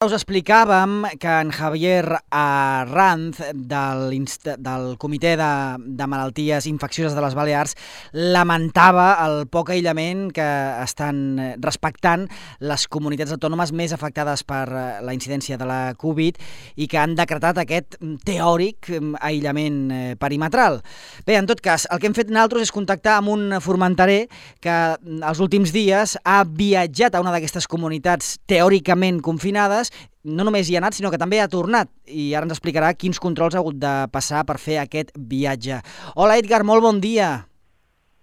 Us explicàvem que en Javier Arranz, del Comitè de Malalties Infeccioses de les Balears, lamentava el poc aïllament que estan respectant les comunitats autònomes més afectades per la incidència de la Covid i que han decretat aquest teòric aïllament perimetral. Bé, en tot cas, el que hem fet nosaltres és contactar amb un formenterer que els últims dies ha viatjat a una d'aquestes comunitats teòricament confinades. No només hi ha anat, sinó que també ha tornat, i ara ens explicarà quins controls ha hagut de passar per fer aquest viatge. Hola, Edgar, molt bon dia.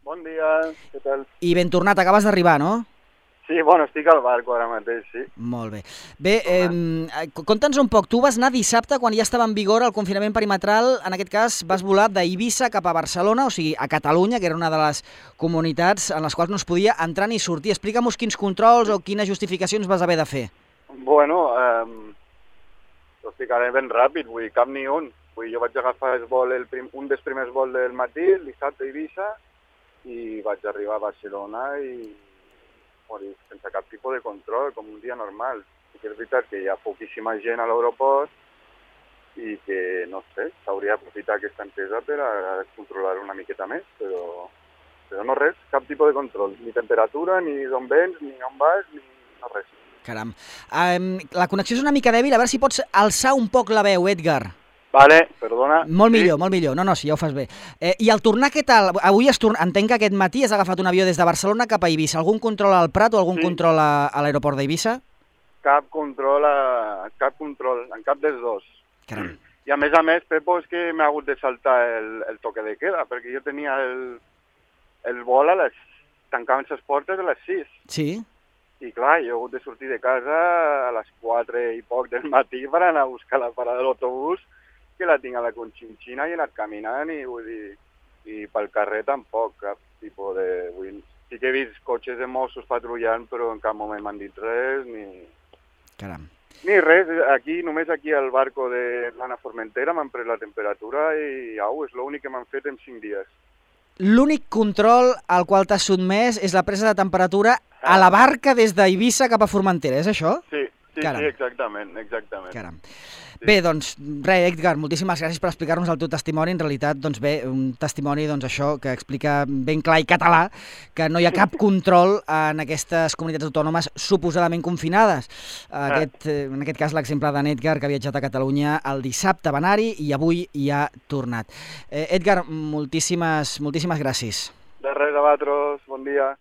Bon dia, què tal? I ben tornat, acabes d'arribar, no? Sí, bueno, estic al barco ara mateix, sí. Molt bé. Bé, conta'ns un poc, tu vas anar dissabte quan ja estava en vigor el confinament perimetral, en aquest cas vas volar d'Eivissa cap a Barcelona, o sigui, a Catalunya, que era una de les comunitats en les quals no es podia entrar ni sortir. Explica'm quins controls o quines justificacions vas haver de fer. Bueno, ho explicaré ben ràpid, vull dir, cap ni un. Vull dir, jo vaig agafar un dels primers vols del matí, el dissabte a Eivissa, i vaig arribar a Barcelona i sense cap tipus de control, com un dia normal. Sí que és veritat que hi ha poquíssima gent a l'aeroport i que, no sé, s'hauria d'aprofitar aquesta entesa per a controlar una miqueta més, però no res, cap tipus de control, ni temperatura, ni d'on vens, ni on vas, ni no res. Caram. La connexió és una mica dèbil, a veure si pots alçar un poc la veu, Edgar. Vale, perdona. Molt millor, molt millor. No, sí, ja ho fas bé. I al tornar, què tal? Avui entenc que aquest matí has agafat un avió des de Barcelona cap a Eivissa. Algun control al Prat o algun control a l'aeroport d'Eivissa? Cap control, en cap dels dos. Caram. I a més, Pepo, és que m'ha hagut de saltar el toque de queda, perquè jo tenia el vol tancant les portes a les 6. Sí. I clar, jo he hagut de sortir de casa a les 4 i poc del matí per anar a buscar la parada de l'autobús, que la tinc a la Conchinchina, i he anat caminant i pel carrer tampoc, cap tipus de... Sí que he vist cotxes de Mossos patrullant, però en cap moment m'han dit res, Caram. Ni res. Només aquí al barco de l'Anna Formentera m'han pres la temperatura i és l'únic que m'han fet en 5 dies. L'únic control al qual t'has sotmès és la presa de temperatura a la barca des d'Eivissa cap a Formentera, és això? Sí, exactament. Caram. Bé, doncs, res, Edgar, moltíssimes gràcies per explicar-nos el teu testimoni. En realitat, doncs bé, un testimoni, doncs això, que explica ben clar i català que no hi ha cap control en aquestes comunitats autònomes suposadament confinades. En aquest cas, l'exemple d'en Edgar, que ha viatjat a Catalunya el dissabte va anar-hi i avui hi ha tornat. Edgar, moltíssimes gràcies. De res, a vosaltres, bon dia.